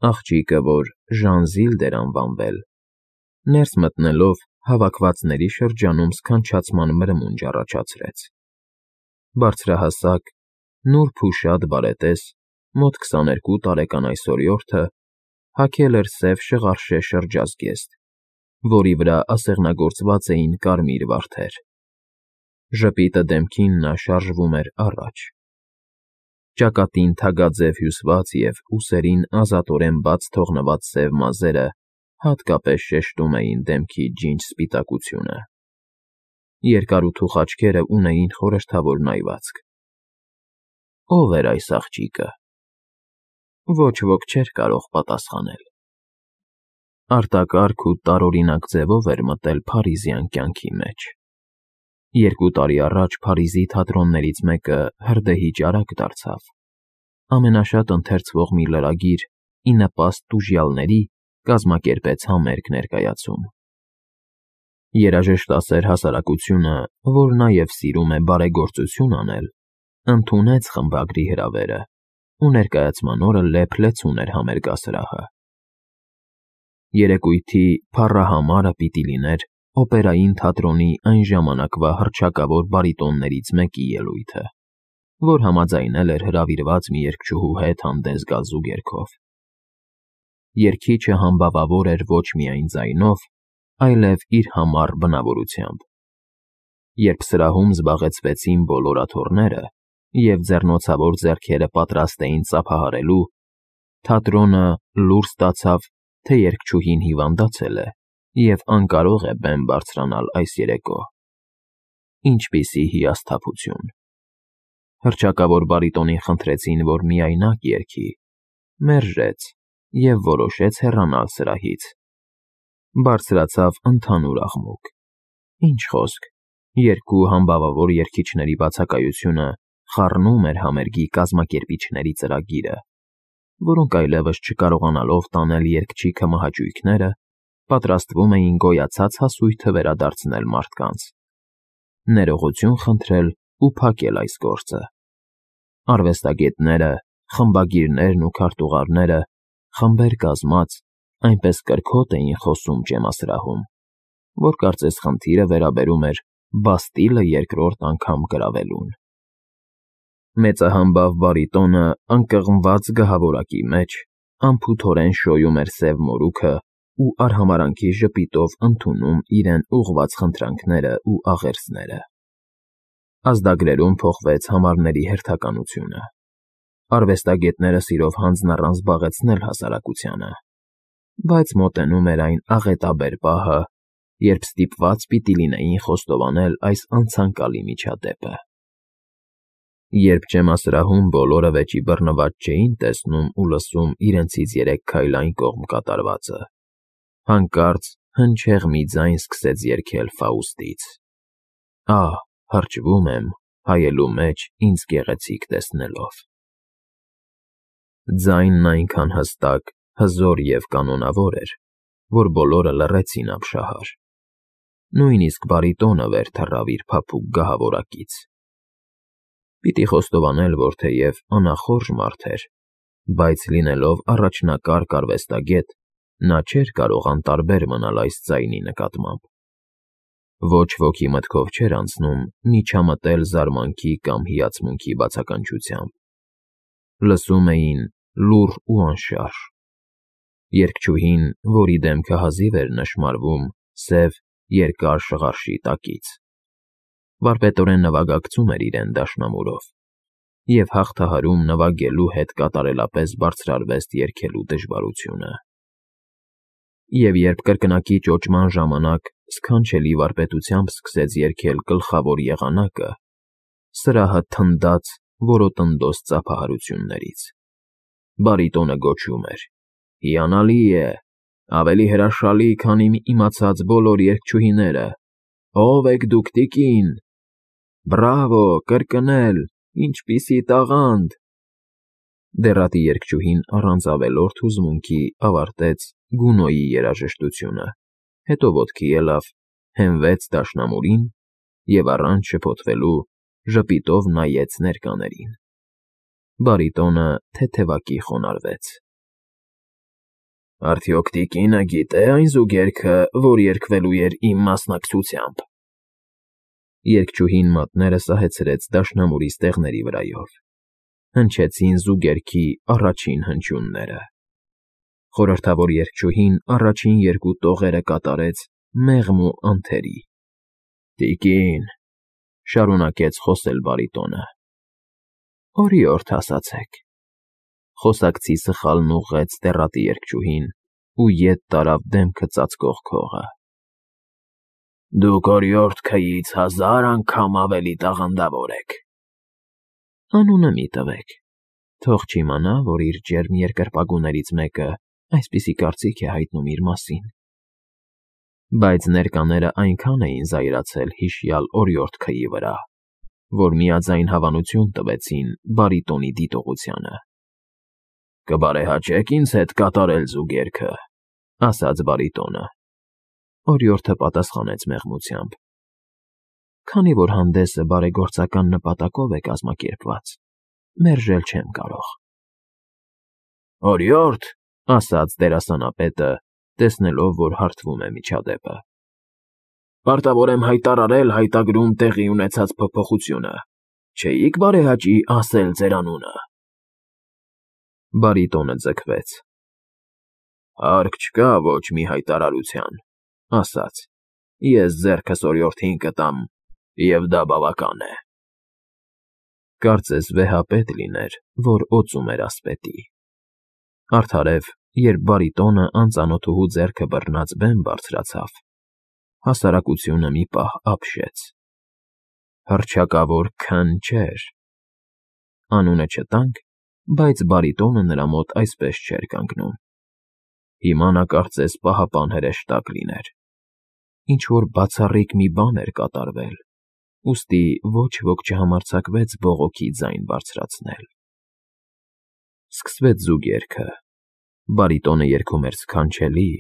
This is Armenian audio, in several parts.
Աղջիկը, որ Ժանզիլդ էր անվանվել, ներս մտնելով հավաքվածների շրջանում սքանչացման մրմունջ առաջացրեց. բարձրահասակ, նուրբ ու շատ բարետես, մոտ 22 տարեկան այս օրիորդը հագել էր սև շղարշե շրջազգեստ, որի վրա ասեղնագործված էին կարմիր վարդեր. ժպիտը դեմքին նա շարժվում էր առաջ. ճակատին թագաձև հյուսված և ուսերին ազատորեն բաց թողնված սև մազերը հատկապես շեշտում էին դեմքի ջինջ սպիտակությունը. երկարութուխ աչքերը ունեին խորհրդավոր նայվածք. ո՞վ էր այս աղջիկը։ Ոչ ոք չէր կարող պատասխանել. արտակարգ ու տարօրինակ ձևով էր մտել փարիզյան կյանքի մեջ. 2 տարի առաջ Փարիզի թատրոններից մեկը հրդեհի ճարակ դարձավ, ամենաշատ ընթերցվող մի լրագիր ի նպաստ տուժյալների կազմակերպեց համերգ ներկայացում. երաժշտասեր հասարակությունը, որ նաև սիրում է բարեգործություն անել, ընդունեց խմբագրի հրավերը ու ներկայացման օրը լեփ-լեցուն էր համերգասրահը. երեկույթի փառահամարը պիտի լիներ օպերային թատրոնի այն ժամանակվա հռչակավոր բարիտոններից մեկի ելույթը, որ համաձայնել էր հրավիրված մի երգչուհու հետ հանդես գալ զուգերգով. երգիչը համբավավոր էր ոչ միայն ձայնով, այլև իր համառ բնավորությամբ. Երբ սրահում զբաղեցվեցին բոլոր աթոռները և ձեռնոցավոր ձեռքերը պատրաստ էին ծափահարելու, թատրոնը լուր ստացավ, թե երգչուհին հիվանդացել է և անկարող է բեմ բարձրանալ այս երեկո. ինչպիսի հիասթափություն… Հռչակավոր բարիտոնին խնդրեցին, որ միայնակ երգի, մերժեց և որոշեց հեռանալ սրահից. բարձրացավ ընդհանուր աղմուկ. ինչ խոսք, երկու համբավավոր երգիչների բացակայությունը խառնում էր համերգի կազմակերպիչների ծրագիրը, որոնք այլևս չկարողանալով տանել երգչի կմահաճույքները, պատրաստվում էին գոյացած հասույթը վերադարձնել մարդկանց, ներողություն խնդրել ու փակել այս գործը. արվեստագետները, խմբագիրներն ու քարտուղարները, խմբեր կազմած, այնպես կրքոտ էին խոսում ջեմասրահում, որ կարծես խնդիրը վերաբերում էր Բաստիլը երկրորդ անգամ գրավելուն. մեծահամբավ բարիտոնը անկղմված գահավորակի մեջ անփութորեն շոյում էր սև մորուքը ու արհամարանքի ժպիտով ընդունում իրեն ուղղված խնդրանքները ու աղերսները. ազդագրերում փոխվեց համարների հերթականությունը. արվեստագետները սիրով հանձն առան զբաղեցնել հասարակությանը, բայց մոտենում էր այն աղետաբեր պահը, երբ ստիպված պիտի լինեին խոստովանել այս անցանկալի միջադեպը. Երբ ջեմասրահում բոլորը վեճի բռնված չէին տեսնում ու լսում իրենցից 3 քայլ այն կողմ կատարվածը, հանկարծ հնչեղ մի ձայն սկսեց երգել Ֆաուստից. «Ահ, հրճվում եմ հայելու մեջ ինձ գեղեցիկ տեսնելով»։ Ձայնն այնքան հստակ, հզոր և կանոնավոր էր, որ բոլորը լռեցին ապշահար. նույնիսկ բարիտոնը վեր թռավ իր փափուկ գահավորակից. պիտի խոստովանել, որ թեև անախորժ մարդ էր, բայց լինելով առաջնակարգ արվեստագետ, նա չէր կարող անտարբեր մնալ այս ձայնի նկատմամբ. ոչ ոքի մտքով չէր անցնում միջամտել զարմանքի կամ հիացմունքի բացականչությամբ. լսում էին լուռ ու անշարժ. երգչուհին, որի դեմքը հազիվ էր նշմարվում սև, երկար շղարշի տակից, վարպետորեն նվագակցում էր իրեն դաշնամուրով և հաղթահարում նվագելու հետ կատարելապես բարձրարվեստ երգելու դժվարությունը։ Եվ երբ կրկնակի ճոճման ժամանակ սքանչելի վարպետությամբ սկսեց երգել գլխավոր եղանակը, սրահը թնդաց որոտնդոս ծափահարություններից. բարիտոնը գոչում էր. «Հիանալի է, ավելի հրաշալի, քան իմ իմացած բոլոր երգչուհիները, ո՞վ եք դուք, տիկին, բրավո, կրկնել, ինչպիսի տաղանդ»։ Դեռատի երգչուհին առանց ավելորդ հուզմունքի ավարտեց Գունոյի երաժշտությունը, հետո ոտքի ելավ, հենվեց դաշնամուրին և առանց շփոթվելու ժպիտով նայեց ներկաներին. բարիտոնը թեթևակի խոնարհվեց. Արդյոք տիկինը գիտե այն զուգերքը, որ երգվելու էր իմ մասնակցությամբ։ Երգչուհին մատները սահեցրեց դաշնամուրի ստեղների վրայով։ Հնչեցին զուգերքի առաջին հնչյունները։ Խորհրդավոր երգչուհին առաջին երկու տողերը կատարեց մեղմ ու անթերի։ Տիկին, շարունակեց խոսել բարիտոնը, օրիորդ ասացեք։ Խոսակցի սխալն ուղղեց դեռատի երգչուհին ու ետ տարավ դեմքը ծածկող քողը։ Դուք օրիորդ քույրից 1000 անգամ ավելի տաղանդավոր եք։ Անունը մի տվեք, թող չիմանա, որ իր ջերմ երկրպագուներից մեկը այսպիսի կարծիք է հայտնում իր մասին։ Բայց ներկաները այնքան էին զայրացել հիշյալ օրիորդ քույրի վրա, որ միաձայն հավանություն տվեցին բարիտոնի դիտողությանը։ Կբարեհաճեք ինձ հետ կատարել զուգերքը, ասաց բարիտոնը։ Օրիորդը պատասխանեց մեղմությամբ. Քանի որ հանդեսը բարեգործական նպատակով է կազմակերպված, մերժել չեմ կարող։ Օրիորդ, ասաց դերասանապետը, տեսնելով, որ հարթվում է միջադեպը։ Պարտավոր եմ հայտարարել հայտագրում տեղի ունեցած փոփոխությունը։ Չէիք բարեհաճի ասել ձեր անունը։ Բարիտոնը ձգվեց։ Հարկ չկա ոչ մի հայտարարության, ասաց. Ես ձեռքս օրիորդին կտամ, և դա բավական է։ Կարծես վեհապետ լիներ, որ օծում էր ասպետի։ Արդարև, երբ բարիտոնը անծանոթուհու ձեռքը բռնած բեմ բարձրացավ, հասարակությունը մի պահ ապշեց։ Հռչակավոր Ք-ն չէր։ Անունը չտանք, բայց բարիտոնը նրա մոտ այսպես չէր կանգնում։ Հիմա նա կարծես պահապան հրեշտակ լիներ։ Ինչ-որ բացառիկ մի բան էր կատարվել, ուստի ոչ ոք չհամարձակվեց բողոքի ձայն բարձրացնել։ Սկսվեց զուգերքը։ Բարիտոնը երգում էր սքանչելի,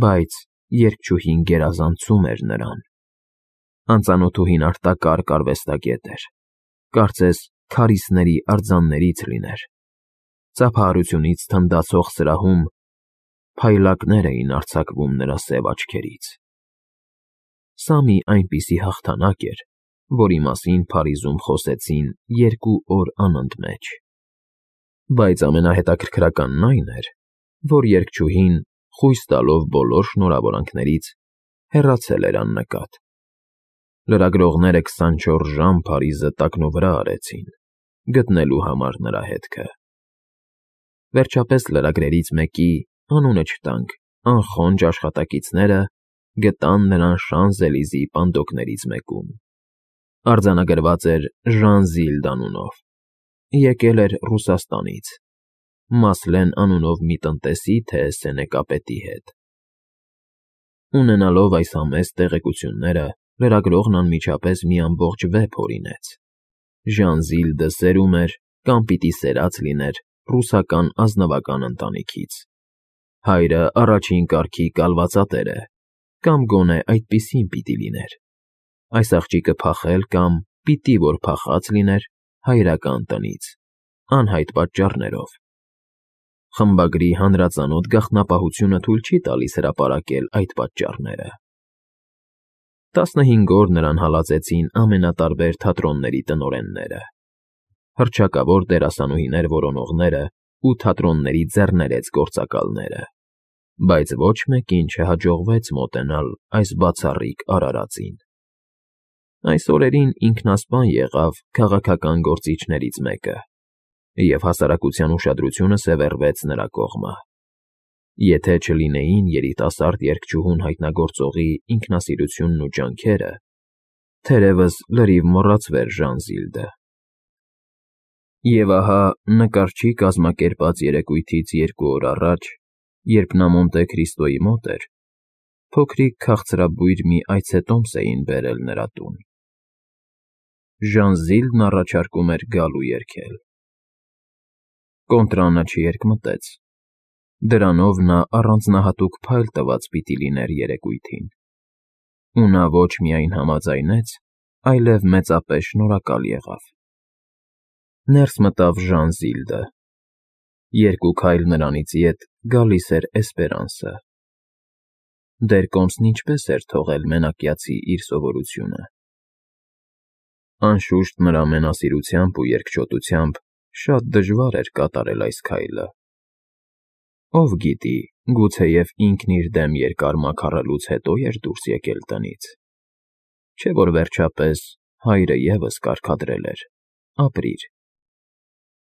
բայց երգչուհին գերազանցում էր նրան։ Անծանոթուհին արտակարգ արվեստագետ էր, կարծես քարիզների արձաններից լիներ։ Ծափահարությունից թնդացող սրահում փայլակներ էին արձակվում նրա սև աչքերից։ Սա մի այնպիսի հաղթանակ էր, որի մասին Փարիզում խոսեցին 2 օր անընդմեջ։ Բայց ամենահետաքրքրականն այն էր, որ երգչուհին, խույս տալով բոլոր շնորհավորանքներից, հեռացել էր աննկատ։ Լրագրողները 24 ժամ Փարիզը տակնուվրա արեցին, գտնելու համար նրա հետքը։ Վերջապես լրագրերից մեկի, անունը չտանք, անխոնջ աշխատակիցները գտան նրան Շանզելիզեի պանդոկներից մեկում։ Արձանագրված էր Ժան Զիլդ անունով։ Եկել էր Ռուսաստանից, Մասլեն անունով մի տնտեսի թե սենեկապետի հետ։ Ունենալով այս համեստ տեղեկությունները, լրագրողն անմիջապես մի ամբողջ վեպ հորինեց։ Ժան Զիլդը սերում էր կամ պիտի սերած լիներ ռուսական ազնվական ընտանիքից։ Հայրը առաջին կարգի կալվածատեր է, կամ գոնե այդպիսին պիտի լիներ։ Այս աղջիկը փախել կամ պիտի որ փախած լիներ հայրական տնից, անհայտ պատճառներով։ Խմբագրի հանրածանոթ գաղտնապահությունը թույլ չի տալիս հրապարակել այդ պատճառները։ 15 օր նրան հալածեցին ամենատարբեր թատրոնների տնօրենները, հռչակավոր դերասանուհիներ որոնողները ու թատրոնների ձեռներեց գործակալները, բայց ոչ մեկին չհաջողվեց մոտենալ այս բացառիկ արարածին։ Այս օրերին ինքնասպան եղավ քաղաքական գործիչներից մեկը, և հասարակության ուշադրությունը սևեռվեց նրա կողմը։ Եթե չլինեին երիտասարդ երգչուհուն հայտնագործողի ինքնասիրությունն ու ջանքերը, թերևս լրիվ մոռացվեր Ժան Զիլդը։ Եվ ահա նկարչի կազմակերպած երեկույթից 2 օր առաջ, երբ նա Մոնտե Քրիստոյի մոտ էր, փոքրիկ քաղցրաբույր մի այցետոմս էին բերել նրա տուն։ Ժան Զիլդն առաջարկում էր գալ ու երգել։ Կոնտրանը չերկմտեց։ Դրանով նա առանձնահատուկ փայլ տված պիտի լիներ երեկույթին։ Ու նա ոչ միայն համաձայնեց, այլև մեծապես շնորհակալ եղավ։ Ներս մտավ Ժան Զիլդը։ Երկու քայլ նրանից ետ գալիս էր Էսպերանսը։ Դեռ կոմսն ինչպես էր թողել մենակյացի իր սովորությունը։ Անշուշտ նրա մենասիրությամբ ու երկչոտությամբ շատ դժվար էր կատարել այս քայլը։ Ով գիտի, գուցեև ինքն իր դեմ երկար մաքարելուց հետո էր դուրս եկել տնից։ Չէ՞ որ վերջապես հայրը ևս կարգադրել էր. ապրիր։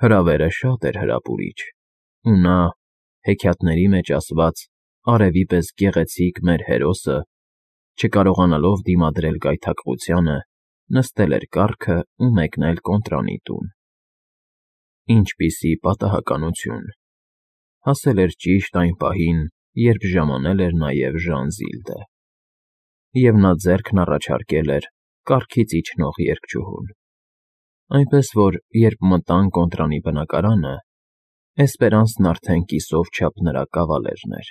Հրավերը շատ էր հրապուրիչ, ու նա, հեքիաթների մեջ ասված, արևի պես գեղեցիկ մեր հերոսը, չկարողանալով դիմադրել գայթակղությանը, նստել էր կառքը ու մեկնել կոնտրանի տուն։ Ինչպիսի պատահականություն… Հասել էր ճիշտ այն պահին, երբ ժամանել էր նաև Ժանզիլդը, և նա ձեռքն առաջարկել էր կառքից իջնող երգչուհուն։ Այնպես որ, երբ մտան կոնտրանի բնակարանը, Էսպերանսն արդեն կիսով չափ նրա կավալերն էր։